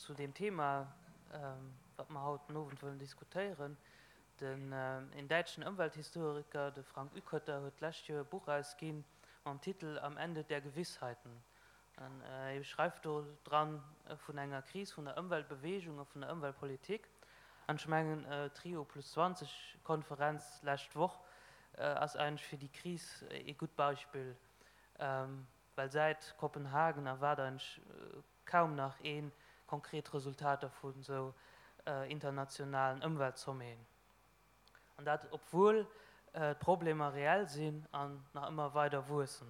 zu deem Thema, wat mer haut den Owend wëllen diskutéieren. Den een däitschen Ëmwelthistoriker, de Frank Uekötter, huet d'lescht Joer e Buch erausginn mam Titel Am Ende der Gewissheiten. An hie schreift do dran vun enger Kris vun der Ëmweltbeweegung a vun der Ëmweltpolitik. An ech mengen, d'Rio plus 20 Konferenz d'lescht Woch ass eigentlech fir déi Kris ee gutt Beispill, well säit Kopenhagen erwaart eigentlech kaum nach ee konkret Resultater vu sou internationalen Ëmweltsommeten. An dat obwuel d'Problemer reell sinn an nach ëmmer weider wuessen.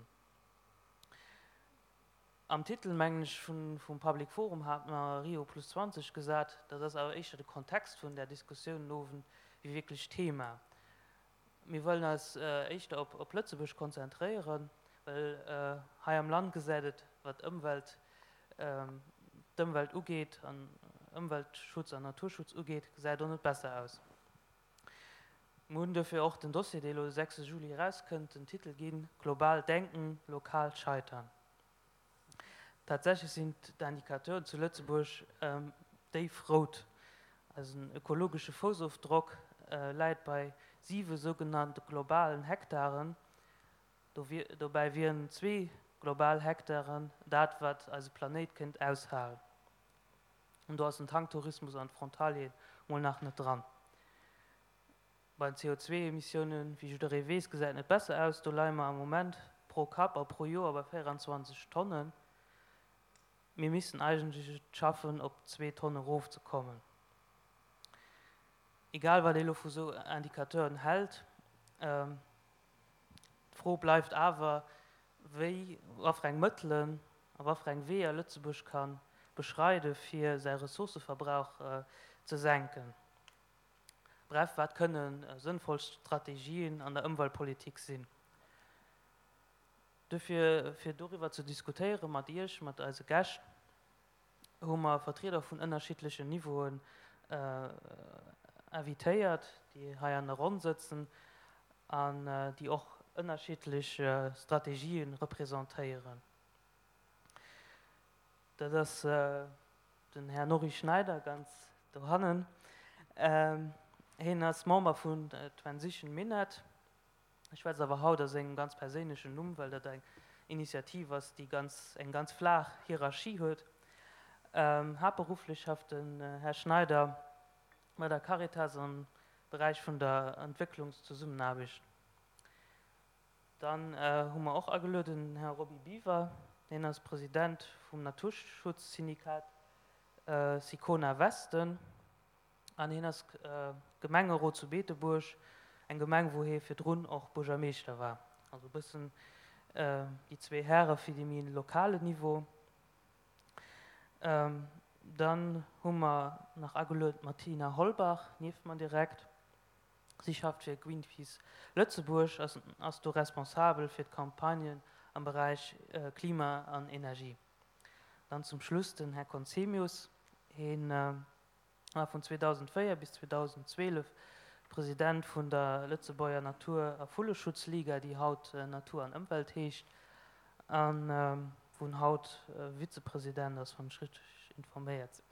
Am Titel, mengen ech, vum Public Forum hat mer Rio plus 20 gesat. Dat ass awer éischter de Kontext vun där Diskussioun den Owend wéi wierklech d'Thema. Mir wëllen eis éischter op Lëtzebuerg konzentréieren, well hei am Land gesäit et, wat d'Ëmwelt, d'Ëmwelt ugeet an Ëmweltschutz an Naturschutz ugeet, gesäit och net besser aus. Mir hunn duerfir och den Dossier, dee elo de 6 Juli erauskënnt, den Titel ginn, Global denken, lokal scheitern. Tatsächlech sinn d'Indicateuren zu Lëtzebuerg déif rout. Eisen ökologesche Foussofdrock läit bei siwe sougenannte globalen Hektaren. Dobäi wieren zwee global Hektaren dat, wat eise Planéit kéint aushalen. An do ass den Tanktourismus an d'Frontalieren mol nach net dran. Bei den CO2-Emissiounen, wéi jidderee weess, gesäit et net besser aus. Do leie mer am Moment pro Kapp a pro Joer bei 24 Tonnen. Mir missten eigentlech et schaffen, op zwee Tonne erofzekommen. Egal wat ee lo vu sou Indicateuren hält, d'Fro bleift awer, wéi, wat fir eng Mëttelen a wat fir eng Weeër Lëtzebuerg ka beschreide fir säi Ressourcëverbrauch ze senken. Bref, wat kënne sënnvoll Strategien an der Ëmweltpolitik sinn? Dofir, fir doriwwer ze diskutéiere mat Iech, mat eise Gäscht, hu mer Vertrieder vun ënnerschiddlechen Niveauen invitéiert, déi hei an der Ronn sëtzen an déi och ënnerschiddlech Strategië representéieren. Dat ass den Här Norry Schneider ganz dohannen. Hien ass Member vun Transition Minett. Ech schwätz awer haut a sengem ganz perséinlechen Numm, well dat eng Initiativ ass, déi ganz, eng ganz flaach Hierarchie huet. Haaptberufflech schafft den Här Schneider bei der Caritas am Beräich vun der Entwécklungszesummenaarbecht. Dann hu mer och agelueden den Här Roby Biwer. Hien ass President vum Naturschutzsyndikat Sicona Westen an hien ass Gemengerot zu Beetebuerg, eng Gemeng, wou hie virdrun och Buergermeeschter war. Also e bëssen déi zwee Häre fir dee méi lokalen Niveau. Dann hu mer nach agelueden d'Martina Holbach, nieft mer direkt. Si schafft fir Greenpeace Lëtzebuerg a ass do responsabel fir d'Campagnen am Beräich Klima an Energie. Dann zum Schluss den Här Conzemius. Hien war vun 2004 bis 2012 President vun der Lëtzebuerger Natur a Vulleschutzliga, déi haut Natur an Ëmwelt heescht, a wou en haut Vizepresident ass, wann ech richteg informéiert sinn.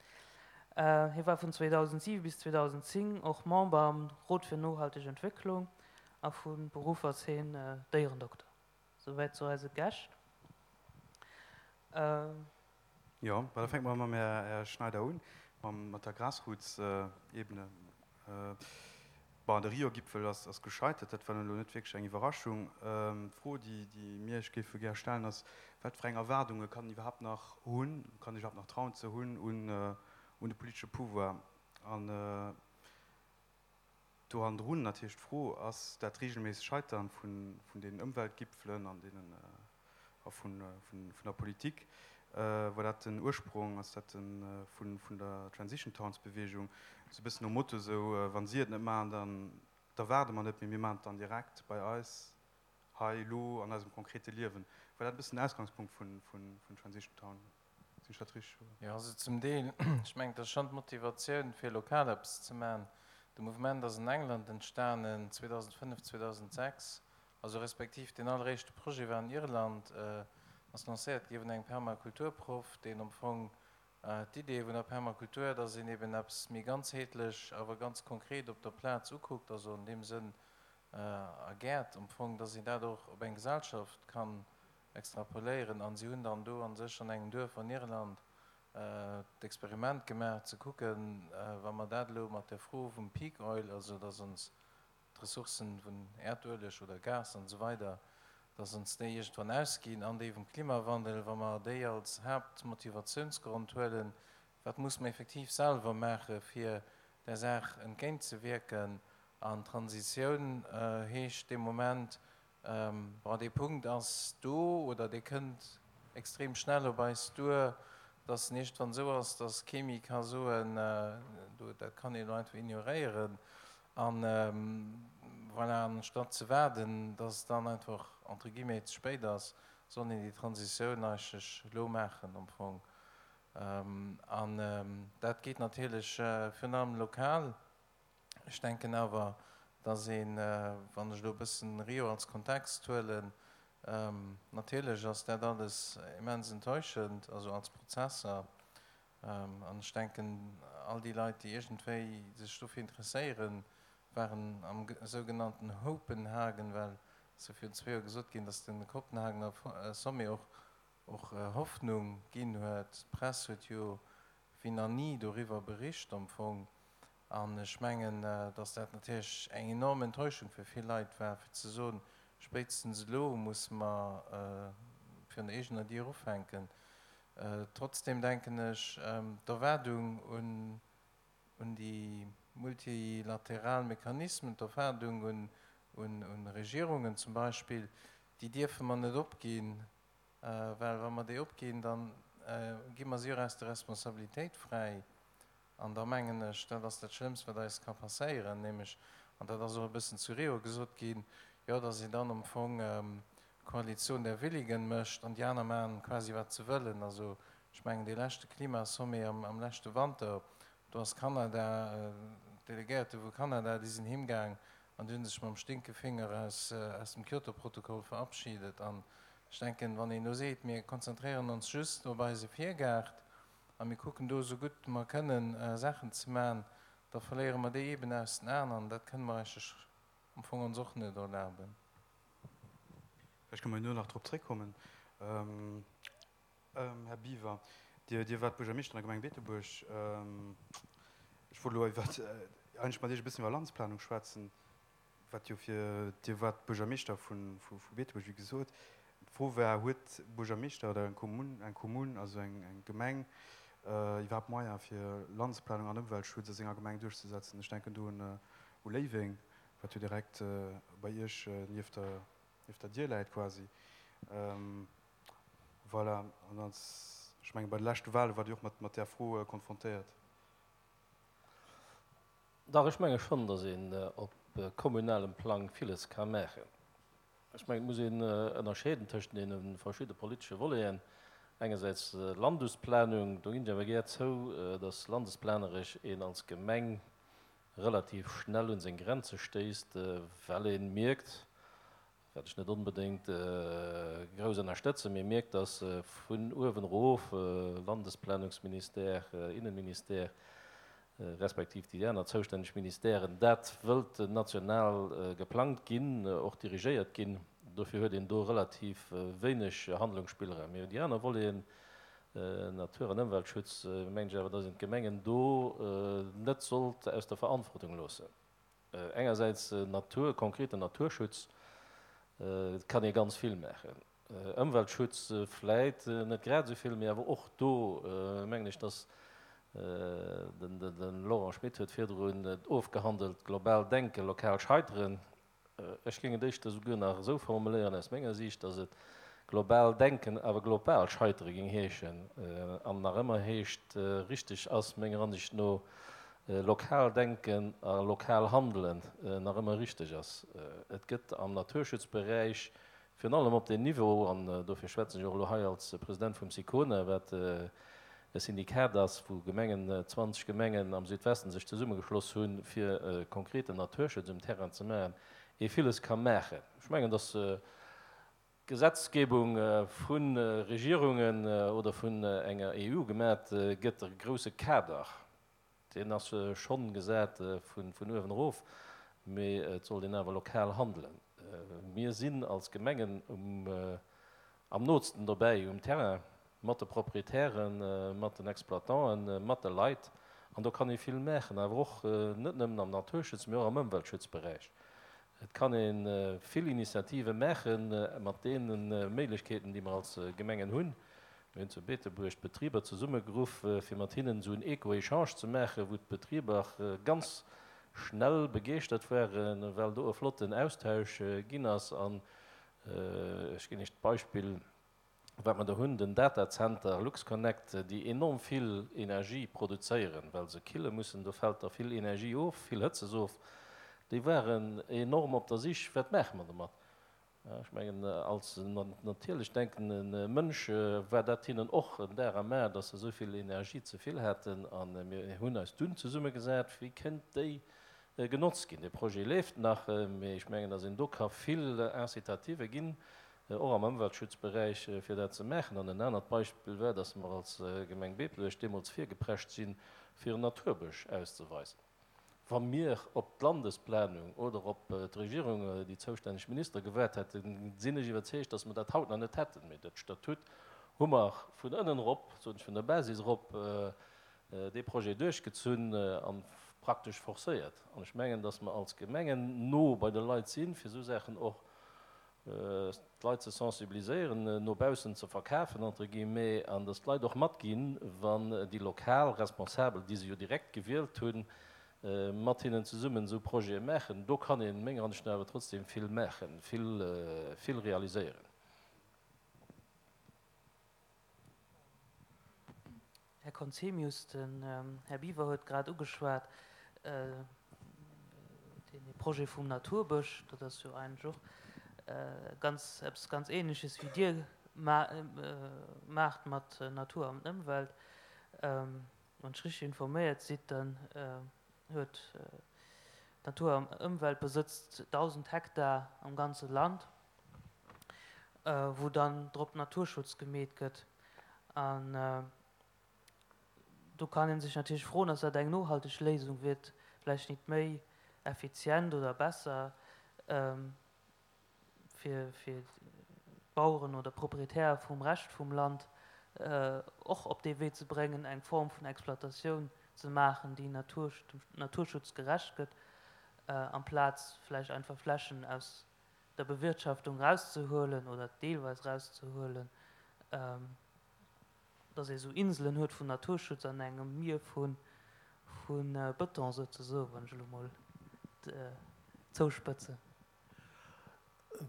Hie war vun 2007 bis 2010 och Member am Rot fir nohalteg Entwécklung a vu Beruff ass hien Déierendokter. Souwäit zu eise Gäscht. Jo, bah da fänke mer mam Här Schneider un, mat der Grassroots-Ebene. Bon, de Rio-Gipfel ass gescheitert, dat war nun elo net wierklech eng Iwwerraschung. D'Fro, déi mir Iech géife gär stellen, ass, Wat fir eng Erwaardunge kann een iwwerhaapt nach hunn, kann een sech iwwerhaapt nach trauen ze hunn un de politesche Pouvoir? An do hannendrun natierlech d'Fro, Ass dat reegelméisseg Scheitern vun deenen Ëmweltgipfelen an deenen a vun der Politik, war dat den Ursprong, ass dat de vun der Transition Towns Bewegung, esou e bëssen nom Motto esou, wa si et net maachen, dann da waarde mer net, mee mir maachen et dann direkt bei eis hei elo an eisem konkrete Liewen. War dat e bëssen den Ausgangspunkt vun Transition Town? Sinn ech dat richteg, oder? Jo, also zum Deel. Ech mengen, et ass schonn d'Motivatioun, fir lokal eppes ze maachen. De Mouvement ass an England entstanen 2005, 2006. Also respektiv deen alleréischte Projet war an Irland, ass lancéiert gi vun engem Permakulturproff, deen am Fong. D'Idee vun der Permakultur, dass een eben eppes méi ganzheetlech, awer ganz konkret op der Plaz ukuckt, also an deem Sënn a Gäert am Fong, dass een dat och op eng Gesellschaft kann extrapoléieren. An si hunn dann do a sech an engem Duerf an Irland d'Experiment gemaach, ze kucken, wa mer dat elo mat der Fro vum Peak Oil, also dass ons d'Ressourcen vun Äerdueleg oder Gas an esou weider, dass ons déi iergendwann ausginn, an déi vum Klimawandel, wa mer déi als Haaptmotivatiounsgrond huelen, wat muss mer effektiv selwer maache fir där Saach entgéintzewierken? An Transitioun heescht dee Moment, Bon, dee Punkt ass do oder dee kënnt extrem schnell op eis duer, dass en iergendwann esou ass, dass kee méi ka soen, do, dat kann een elo einfach ignoréieren. An voilà, anstatt ze waarden, dass et dann einfach entre guillemets ze spéit ass, soll een déi Transitioun eigentlech elo maachen am Fong. An dat geet natierlech virun allem lokal. Ech denken awer, dass een, wann ech elo e bëssen Rio als Kontext huelen, natierlech ass dat alles immens enttäuschend, also als Prozesser. An ech denken, all déi Leit, déi iergendwéi sech dofir interesséieren, waren am sougenannten Hopenhagen, well et ass jo virun zwee Joer gesot ginn, dass de Kopenhagener Sommet och och Hoffnung ginn huet. D'Press huet jo wéi nach ni doriwwer bericht am Fong. An ech mengen, datt dat natierlech eng enorm Enttäuschung fir vill Leit war, fir ze soen, spéitstens elo musse mer virun der eegener Dier ufänken. Trotzdem denken ech, d'Erwaardung un déi multilateral Mechanismen, d'Erwaardung un Regierungen zum Beispill, déi dierfe mer net opginn. Well wa mer déi opginn, da gi mer si och aus der Responsabilitéit fräi. An da mengen ech, dat ass dat Schlëmmst, wat eis ka passéieren, nämlech, an dat ass och e bëssen zu Rio gesot ginn, jo, datt een dann am Fong Koalition der Willigen mécht an déi aner maachen quasi wat se wëllen. Also ech mengen, dee leschte Klimasommet am leschte Wanter, do ass Kanada, d'Delegéierte vu Kanada, déi sinn heemgaang an déi hu sech mam Stinkefinger aus dem Kyoto-Protokoll verabschiedet. An ech denken, wann een elo seet, mir konzentréieren ons just op eise Virgaart a mir kucken do esou gutt mer kënnen Saachen ze maachen, da verléiere mer déi eeben aus den Aen an dat kënne mer eigentlech am Fong ons och net erlaben. Vläicht kënne mer herno nach drop zréckkommen. Här Biwer, Dir waart Buergermeeschter an der Gemeng Beetebuerg. Ech wollt elo iwwer, eigentlech mat Iech e bëssen iwwer Landesplanung schwätzen, wat jo fir, Dir waart Buergermeeschter vu Beetebuerg, wéi gesot. D'Fro war, Huet e Buergermeeschter oder eng Kommunn, eng Kommunn, also eng Gemeng, iwwerhaapt Moyen, fir Landesplanung an Ëmweltschutz a senger Gemeng duerchzesetzen? Ech denken do un Léiweng, wat jo direkt bei Iech nieft der, nieft der Dier läit quasi. Voilà, an als, ech menge bei de leschte Wahle waart Dir och mat, mat där Fro konfrontéiert. Dach, ech menge schonn, datt een op kommunalem Plang villes ka maachen. Ech mengen, et muss een ënnerscheeden tëschent deene verschidde politesche Voleten. Engersäits Landesplanung, do ginn ech awer gär zou, datt landesplaneresch een als Gemeng relativ schnell un seng Grenze stéisst, well ee mierkt, wat ech net onbedéngt grouss ënnerstëtzen, mee mierkt, datt vun uewen erof, Landesplanungsministère, Innenministère, respektiv déi aner zoustänneg Ministèren, dat wëllt national geplangt ginn, och dirigéiert ginn. Dofir huet een do relativ wéineg Handlungsspillraum. Mee déi aner Voleten, Natur an Ëmweltschutz, mengen ech awer, datt een d'Gemengen do net sollt aus der Verantwortung loossen. Engersäits Natur, konkreten Naturschutz, kann ee ganz vill maachen. Ëmweltschutz vläit net grad esou vill, mee awer och do mengen ech, dass, de Laurent Schmit huet virdrun et ofgehandelt, global denken, lokal scheiteren. Ech géing et éischter souguer nach esou formuléieren aus menger Siicht, dass et global denken, awer global scheitere géing heeschen an nach ëmmer heescht. Richteg ass menger Ansicht no lokal denken a lokal handelen nach ëmmer richteg ass. Et gëtt am Naturschutzberäich virun allem op deem Niveau, an dofir schwätzen ech och elo hei als President vum SICONA, wat e Syndikat ass, wou Gemengen, 20 Gemengen am Südwesten sech zesummegeschloss hunn, fir konkreten Naturschutz um Terrain ze maachen, ee villes ka maachen. Ech mengen, dass. Gesetzgebung vu Regierungen oder vun enger EU gemat gëtt, e grousse Kader, deen ass schonn gesat vun uewen erof, mee et sollt een awer lokal handelen. Mir sinn als Gemengen am nootsten dobäi um Terrain, mat de Proprietären, mat den Exploitanten, mat de Leit, an do kann ee vill maachen, awer och net nëmmen am Naturschutz, mee och am Ëmweltschutzberäich. Et kann ee vill Initiative maache mat deene Méiglechkeeten, déi mer als Gemengen hunn. Mir hunn zu Beetebuerg d'Betriber zesummegeruff, fir mat hinnen esou en Eco-Echange ze maachen, wou d'Betriber ganz schnell begeeschtert waren, well do e flotten Austausch ginn ass. An ech ginn Iech d'Beispill, Wat mer do hunn, den Datazenter LuxConnect, déi enorm vill Energie produzéieren, well se kille mussen, do fält da vill Energie of, vill Hëtzes of, déi waren enorm op der Sich, wat maache mer domat? Ech mengen, als natierlech denkende Mënsch war dat hinnen och en Dar am A, dass se esou vill Energie ze vill haten. A mir hunn eis dunn zesummegesat, wéi kënnt déi genotzt ginn. Dee Projet leeft nach, mee ech mengen, dass een do ka vill Incitative ginn, och am Ëmweltschutzberäich, fir dat ze maachen. An en anert Beispill war, dass mer als Gemeng Beetebuerg deemools virgeprescht sinn, fir en Naturbësch auszeweisen. Wa mir op d'Landesplanung oder op d'Regierung, déi zoustänneg Ministere gewaart hätten, sinn ech iwwerzeegt, dass mer dat haut nach net hätten. Mee dat Statut hu mer vun ënnen erop, soen ech, vun der Basis erop, dee Projet duerchgezunn a praktesch forcéiert. An ech mengen, dass mer als Gemengen no bei de Leit sinn, fir esou Saachen och d'Leit ze sensibiliséieren, no baussen ze verkafen, entre guillemets, an dass d'Leit och matginn, wann déi lokal Responsabel, déi se jo direkt gewielt hunn, mat hinnen zesummen esou Projete maachen. Do kann een, menger Ansicht no, awer trotzdem vill maachen, vill, vill realiséieren. Här Conzemius, den Här Biwer huet grad ugeschwat, dee Projet vum Naturbësch, dat ass jo eigentlech och ganz, eppes ganz Ähnleches wéi Dir maacht mat Natur an Ëmwelt. Wann ech richteg informéiert sidd, dann huet d'Natur an Ëmwelt besëtzt 1.000 Hektar am ganze Land, wou dann drop Naturschutz gemeet gëtt. An do kann ee sech natierlech froen, ass dat eng nohalteg Léisung? Wier et vläicht nit méi effizient oder besser fir d'Baueren oder Proprietäre vum Rescht vum Land och op dee Wee ze bréngen, eng Form vun Exploitatioun ze maachen, déi dem Naturschutz gerecht gëtt, amplaz vläicht einfach Flächen aus der Bewirtschaftung rauszehuelen oder deelweis rauszehuelen, dass ee sou Inselen huet vun Naturschutz an engem Mier vu Bëton souzesoen, wann ech elo mol zouspëtzen.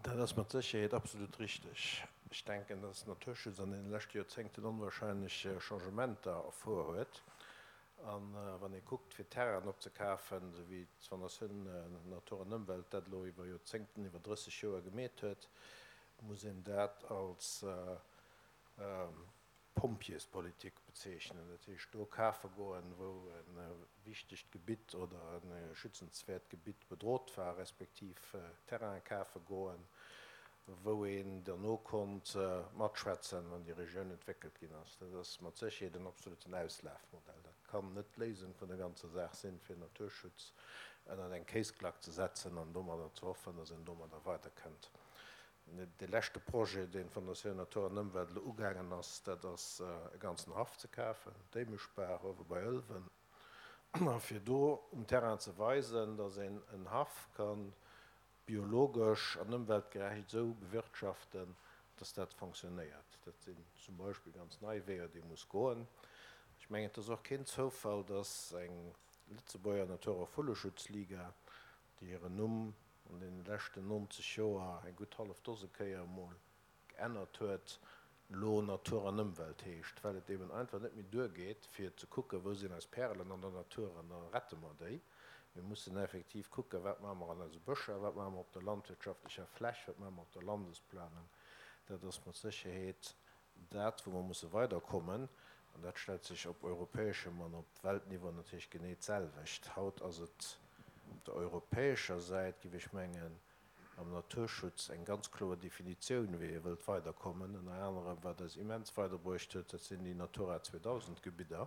Dat ass mat Sécherheet absolut richteg. Ech denken, dass Naturschutz an deene leschte Joerzéngten onwahrscheinlech Changementer erfuer huet. A wann ee kuckt, fir Terrainen opzekafen, esou wéi d'Fondatioun Natur an Ëmwelt dat elo iwwer Joerzéngten, iwwer 30 Joer gemeet huet, muss een dat als Pompjeespolitik bezeechnen. Dat heescht, do kafe goen, wou e wichtegt Gebitt oder e schützenswäert Gebitt bedrot war, respektiv Terraine kafe goen, wou een derno konnt matschwätzen, wann déi Regioun entwéckelt ginn ass. Dat ass mat Sécherheet en absoluten Auslafmodell. Dat kann net d'Léisung vun der ganzer Saach sinn, fir Naturschutz ënnert eng Kéisklack ze setzen an domadder ze hoffen, datt een domadder weiderkënnt. Dee leschte Projet, deen d'Fondatioun Natur an Ëmwelt elo ugaangen ass, dat ass e ganzen Haff ze kafen, d'Éimeschbaach uewe bei Ëlwen, a fir do um Terrain ze weisen, datt een en Haff ka biologesch an ëmweltgerecht esou bewirtschaften, dass dat fonctionnéiert. Dat sinn zum Beispill ganz nei Weeër, déi ee muss goen. Ech mengen, et ass och keen Zoufall, dass eng Lëtzebuerger Natur a Vulleschutzliga, déi hiren Numm an deene leschten 90 Joer eng gutt hallef Dose Kéier emol geännert huet, elo Natur an Ëmwelt heescht, well et eben einfach net méi duergeet, fir ze kucken, wou sinn eis Pärelen an der Natur an da rette mer déi. Mir mussen effektiv kucken, wat maache mer an eise Bëscher, wat maache mer op der landwirtschaftlecher Fläch, wat maache mer op der Landesplanung. Dat ass mat Sécherheet dat, wou mer musse weiderkommen. An dat stellt sech op europäeschem an op Weltniveau natierlech genee d'selwecht. Haut ass et op der europäescher Säit, géif ech mengen, Am Naturschutz eng ganz kloer Definitioun, wéi ee wëllt weiderkommen. Ënner anerem, wat eis immens weiderbruecht huet, dat sinn déi Natura 2000 Gebidder,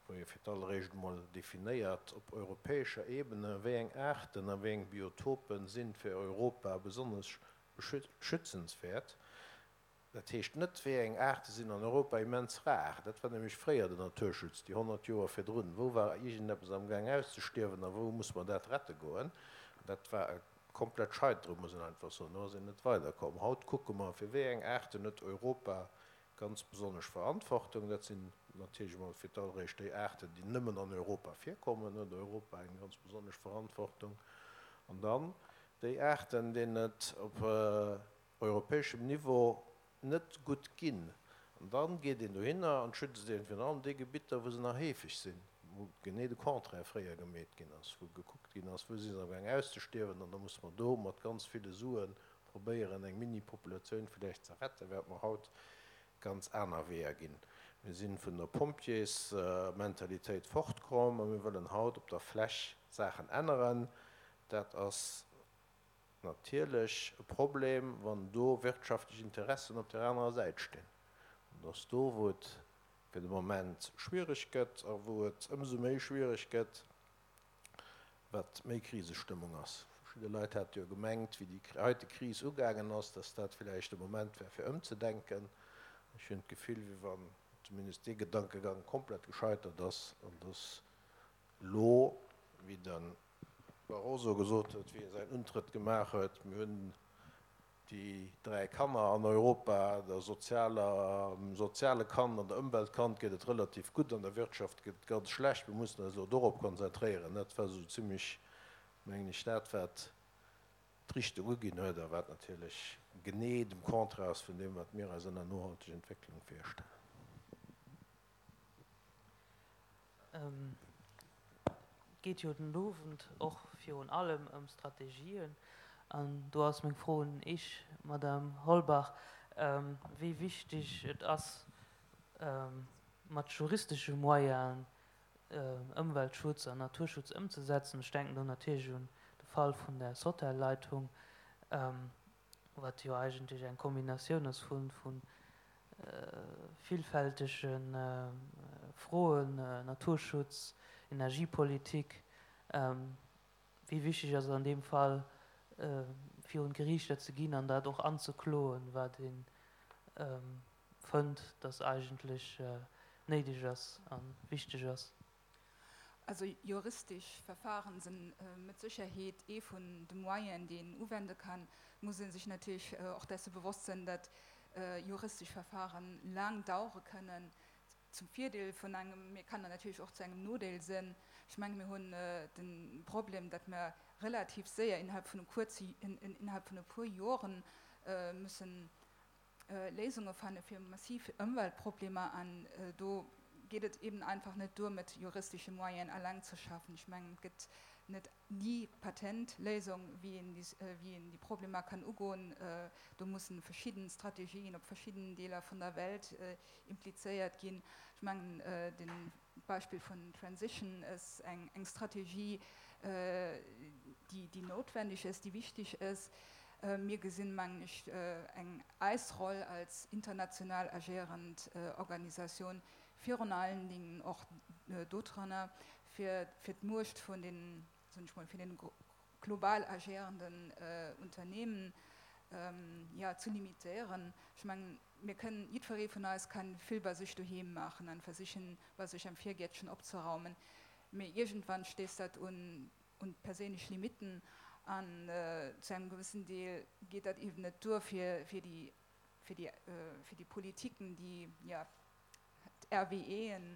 wou ee fir d'alleréischt emol definéiert op europäescher Ebene, wéi eng Aarten a wéi eng Biotope si fir Europa besonnesch schützenswäert. Dat heescht net, wéi eng Aarte sinn an Europa immens rar. Dat war nämlech fréier den Naturschutz, déi 100 Joer virdrun. Wou war iergendeppes amgaang auszestierwen a wou muss mer dat rette goen? Dat war e komplett Scheiteren, muss een einfach soen. Do ass een net weiderkomm. Haut kucke mer, fir wéi eng Aarten huet Europa ganz besonnesch Verantwortung. Dat sinn natierlech emol fir d'alleréischt déi Aarten, déi nëmmen an Europa virkommen, huet Europa eng ganz besonnesch Verantwortung. An dann déi Aarten, deenen et op europäeschem Niveau net gutt ginn. An da geet een dohinner an schützt een virun allem déi Gebitter, wou se nach heefeg sinn, wou genee de Contraire fréier gemeet ginn ass, wou gekuckt ginn ass, wou si se amgaang auszestierwen. An da musse mer do mat ganz ville Sue probéieren, eng Mini-Populatioun villäicht ze retten, während mer haut ganz aner Weeër ginn. Mir si vun der Pompjeesmentalitéit fortkomm a mir wëllen haut op der Fläch Saachen änneren. Dat ass natierlech e Problem, wann do wirtschaftlech Interessen op där anerer Säit stinn. An et ass do, wou et fir de Moment schwierig gëtt a wou et ëmsou méi schwierig gëtt, wat méi Krisestëmmung ass. Verschidde Leit hate jo gemengt, wéi déi heite Kris ugaangen ass, dass dat villäicht de Moment wär, fir ëmzedenken. Ech hunn d'Gefill, wéi wann zumindest dee Gedankegang komplett gescheitert ass an dass elo, wéi de Barroso gesot huet, wéi e säin Untrëtt gemaach huet, Mir hunn déi dräi Kanner an Europa, der sozialer, dem soziale Kand an der Ëmweltkand geet et relativ gutt, an der Wirtschaft geet et ganz schlecht, mir mussen eis elo dorop konzentréieren. Dat war esou zimlech, mengen ech, dat, wat d'Richtung uginn huet a wat natierlech genee dem Contraire ass vun deem, wat mir eis ënner nohalteg Entwécklung virstellen. Et geet jo den Owend och virun allem ëm Strategien. An do ass meng Fro un Iech, Madame Holbach, wéi wichteg et ass, mat juristesche Moyenen Ëmweltschutz an Naturschutz ëmzesetzen. Ech denken do natierlech un de Fall vun der Sotelleitung, wat jo eigentlech eng Kombinatioun ass vu villfältege Froen, Naturschutz, Energiepolitik. Wéi wichteg ass et an deem Fall, virun d'Geriichter ze ginn an dat och anzekloen, wat ee fënnt, datt eigentlech néideg ass a wichteg ass? Also juristisch Verfahren sinn mit Sicherheet ee vun de Moyenen, déi een uwende kann. Et muss ee sech natierlech och desse bewosst sinn, datt juristesch Verfahren laang dauere kënnen, zum Virdeel vun engem, mee kann natierlech och zu engem Nodeel sinn. Ech menge mir hunn de Problem, datt mer relativ séier innerhalb vun e kuerze, innerhalb vun e puer Joren müssen Léisunge fanne fir massiv Ëmweltproblemer an do geet et eben einfach net duer mat juristesche Moyenen alleng ze schaffen. Ech mengen et gëtt net déi Patentléisung wéi een wéi een déi Problemer kann ugoen. Do mussen verschidden Strategien op verschidden Deeler vun der Welt implizéiert ginn. Ech mengen den d'Beispill vun Transition ass eng eng Strategie déi déi notwendig ass, déi wichtig ass. Mir gesinn, mengen ech, eng eis Roll als international agéierend Organisatioun virun allen Dingen och dodranner, fir fir d'Muecht vun den, soen ech mol, vun den global agéierenden Unternehmen, jo, ze limitéieren. Ech mengen, mir kënnen, jiddweree vun eis kann vill bei sech doheem maachen an versichen, bei sech am Virgäertchen opzeraumen, mee iergendwann stéisst dat un un perséinlech Limitten an zu engem gewëssen Deel geet dat eeben net duer fir fir déi fir déi fir déi Politiken, déi jo d'RWEen,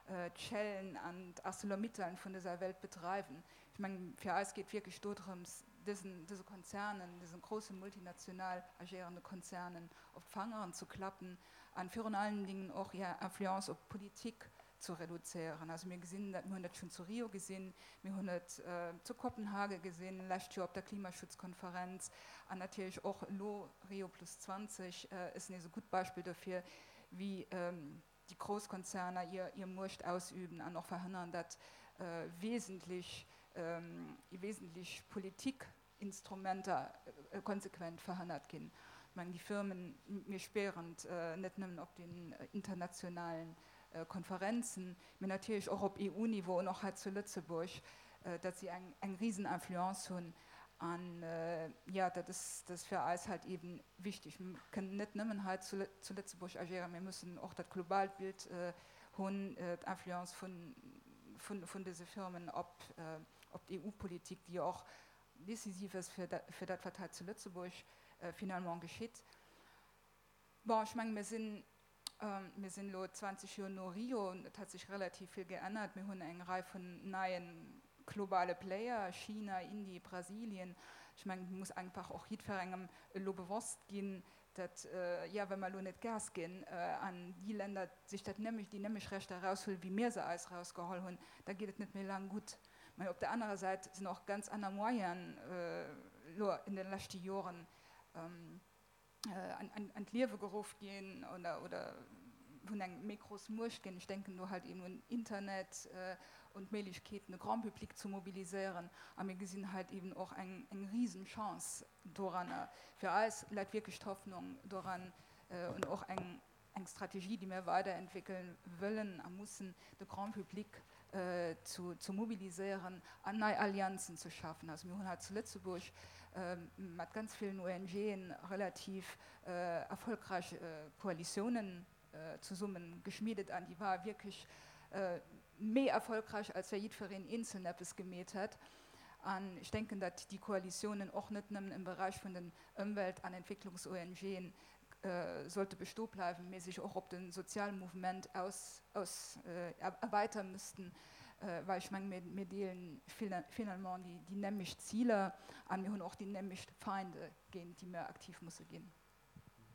d'Shellen an d'ArcelorMittalen vun dëser Welt bedreiwen. Ech mengen, fir eis geet wierklech do drëms, dësen dëse Konzernen, dëse grouse multinational agéierende Konzernen op d'Fangeren ze klappen an virun allen Dingen och hir Influence op d'Politik ze reduzéieren. Also mir gesinn dat, mir hunn dat schonn zu Rio gesinn, mir hunn et zu Kopenhage gesinn, lescht Joer op der Klimaschutzkonferenz an natierlech och elo Rio plus 20 ass nees e gutt Beispill dofir, wéi déi grouss Konzerner hir Muecht ausüben an och verhënnern, datt wesentlech, wesentlech Politik. Instrumenter konsequent verhënnert ginn. Ech mengen, déi Firmen, mir spieren et net nëmmen op den internationalen Konferenzen, mee natierlech och op EU-Niveau an och hei zu Lëtzebuerg, datt si eng eng risen Influence hunn. An jo, dat ass dat ass fir eis halt eben wichtig. Mir kënnen net nëmmen hei zu zu Lëtzebuerg agéieren, mir müssen och dat globaalt Bild hunn, d'Influence vun vun vun dëse Firmen op op d'EU-Politik, déi jo och decisiv ass fir dat fir dat, wat hei zu Lëtzebuerg finalement geschitt. Bon, ech menge mir sinn Mir sinn elo 20 Joer no Rio, et hat sech relativ vill geännert. Mir hunn eng Rei vun neie globale Player, China, Indie, Brasilien. Ech mengen, et muss einfach och jiddwerengem elo bewosst ginn, datt, jo, wa mer elo net Gas ginn an déi Länder sech dat nämlech, déi nämlech Rechter eraushuelen, wéi mir se eis erausgeholl hunn, da geet et net méi laang gutt. Mä op der anerer Säit sinn och ganz aner Moyenen elo in de leschte Joren an d'Liewe geruff ginn oder, oder hunn eng méi grouss Muecht ginn. Ech denken do halt eben un Internet, un d'Méiglechkeeten, de Grand public zu mobiliséieren. A mir gesinn halt eben och eng, eng Risenchance doranner. Fir eis läit wierklech d'Hoffnung doran und och eng, eng Strategie, déi mir weiderentwéckeln wëllen a mussen, de Grand public zu, zu mobiliséieren an nei Allianzen ze schafen. Also mir hunn hei zu Lëtzebuerg mat ganz villen ONGen relativ erfolgreich Koalitiounen zesummen geschmiedet an déi war wierklech méi erfolgreich, als wéi jiddwereen eenzeln eppes gemeet hätt. An ech denken, datt déi Koalitiounen och net nëmmen im Bereich vun den Ëmwelt an Entwécklungs-ONGen sollte bestoe bleiwen, mee sech och op de Sozialmouvement aus, aus erweitern müssten, well ech mengen, mir, mir deelen finalement déi, déi nämlecht Ziler an mir hunn och déi nämlecht Feinde, géint déi mir aktiv musse ginn.